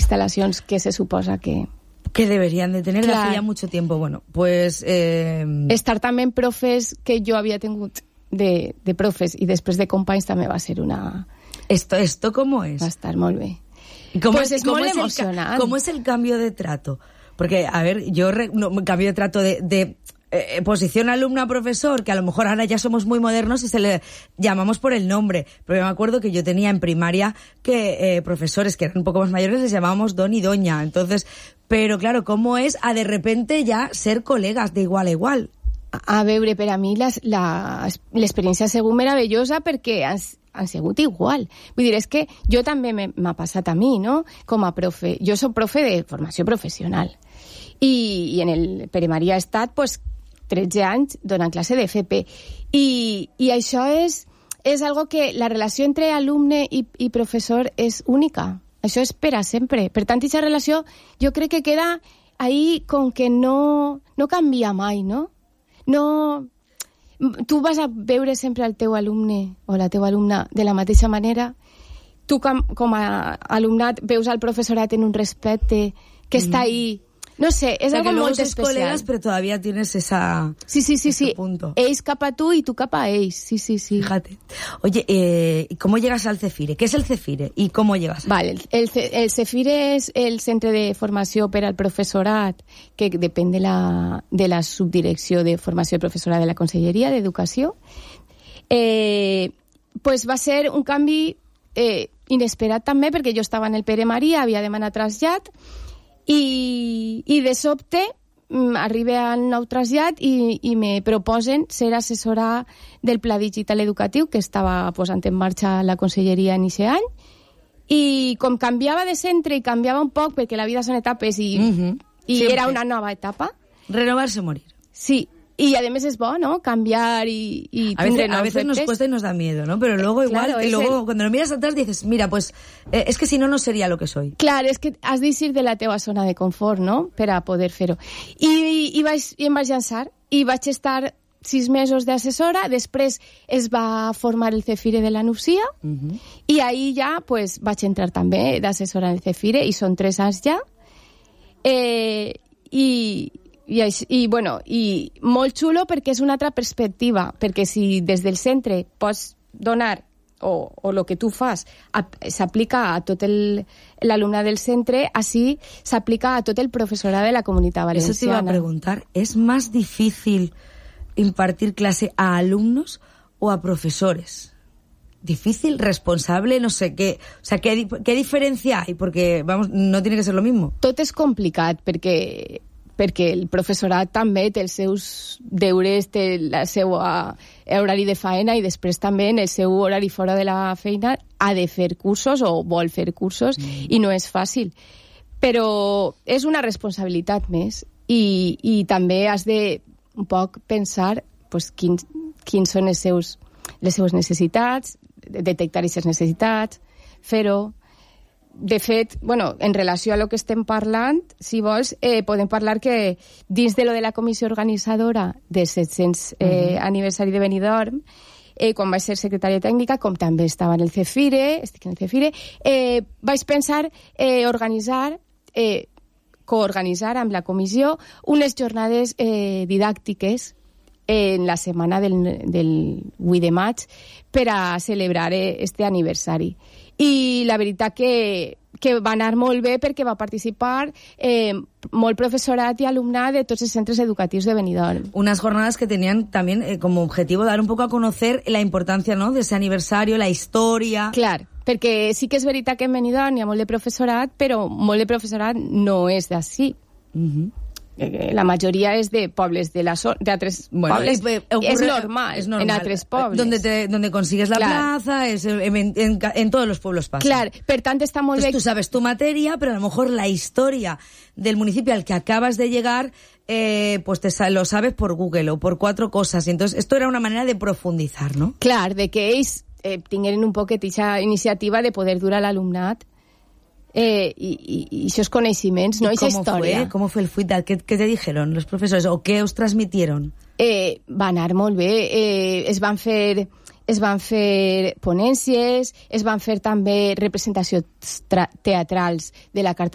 instal·lacions que se suposa que deberían de tener desde ya mucho tiempo. Bueno, pues... Estar també en profes que jo havia tingut de profes i després de companys també va ser una... ¿Esto cómo es? Va estar molt bé. Pues es molt emocionant. ¿Cómo es el cambio de trato? Porque, a ver, cambio de trato de posición alumna-profesor, que a lo mejor ahora ya somos muy modernos y se le llamamos por el nombre. Pero yo me acuerdo que yo tenía en primaria que profesores que eran un poco más mayores les llamábamos don y doña. Entonces, pero claro, ¿cómo es a de repente ya ser colegas de igual a igual? A veure, per a mi l'experiència ha sigut meravellosa perquè han sigut igual. Vull dir, és que jo també m'ha passat a mi, no?, com a profe. Jo soc profe de formació professional i en el Pere Maria he estat, pues, 13 anys donant classe de FP. I això és algo que la relació entre alumne i professor és única. Això és per a sempre. Per tant, aquesta relació jo crec que queda ahí com que no canvia mai, no? No, tu vas a veure sempre el teu alumne o la teva alumna de la mateixa manera. Tu com a alumnat veus al professorat en un respecte que està ahí. No sé, és algo molt especial. Colegas, pero todavía tienes Sí. punto. Ells cap a tu y tú cap a ells. Sí. Fíjate. Oye, ¿cómo llegas al CEFIRE? ¿Qué es el CEFIRE y cómo llegas? Vale, el CEFIRE és el Centre de Formació per al Professorat, que depèn de la Subdirecció de Formació i Professorat de la Conselleria d'Educació. Pues va ser un canvi inesperat també, perquè jo estava en el Pere Maria, havia demanat trasllat, i de sobte arriba al nou trasllat i me proposen ser assessora del Pla Digital Educatiu que estava posant en marxa la Conselleria en aquest any, i com canviava de centre i canviava un poc perquè la vida són etapes i era una nova etapa. Renovarse o morir. Sí. Y además es bueno, ¿no? Cambiar y a veces nos cuesta y nos da miedo, ¿no? Pero luego igual, claro, y luego cuando lo miras atrás dices, mira, pues es que si no sería lo que soy. Claro, és que has d'eixir de la teva zona de confort, no?, per a poder fer-ho. I em vaig llançar i vaig estar 6 mesos d'assessora, després es va formar el CEFIRE de la Nucia i ahí ja pues, vaig entrar també d'assessora en el CEFIRE i són 3 anys ja. I molt xulo perquè és una altra perspectiva, perquè si des del centre pots donar o el que tu fas s'aplica a tot l'alumnat del centre, així s'aplica a tot el professorat de la Comunitat Valenciana. Eso te iba a preguntar, ¿es más difícil impartir clase a alumnos o a profesores? ¿Difícil? ¿Responsable? No sé, ¿qué diferencia hay? Porque, vamos, no tiene que ser lo mismo. Tot és complicat, perquè el professorat també té els seus deures, té el seu horari de faena i després també en el seu horari fora de la feina ha de fer cursos o vol fer cursos i no és fàcil. Però és una responsabilitat més i també has de un poc pensar pues, quins són les seues necessitats, detectar aquestes necessitats, fer-ho. De fet, en relació a lo que estem parlant, si vols, podem parlar que dins de lo de la comissió organitzadora del 700 aniversari de Benidorm, quan vaig ser secretària tècnica, com també estava en el CEFIRE, estic en el CEFIRE, vaig pensar coorganitzar amb la comissió unes jornades didàctiques en la setmana del 8 de maig per a celebrar este aniversari. I la veritat que va anar molt bé perquè va participar molt professorat i alumnat de tots els centres educatius de Benidorm. Unas jornadas que tenían también como objetivo dar un poco a conocer la importancia, ¿no?, de ese aniversario, la historia. Clar, perquè sí que és veritat que en Benidorm hi ha molt de professorat, però molt de professorat no és d'ací. La majoria és de pobles de altres pobles. Es normal en altres pobles. Donde consigues la plaza, en todos los pueblos pasa. Claro, per tant està molt bé. Tú sabes tu materia, pero a lo mejor la historia del municipio al que acabas de llegar, pues lo sabes por Google o por 4 cosas. Y entonces esto era una manera de profundizar, ¿no? Clar, de que ells tingueren un poquet aquesta iniciativa de poder dur a l'alumnat y esos conocimientos, ¿no? Esa historia. ¿Cómo fue el feedback? ¿Qué te dijeron los profesores? ¿O qué os transmitieron? Va anar molt bé. Es van fer ponències, es van fer també representacions teatrals de la Carta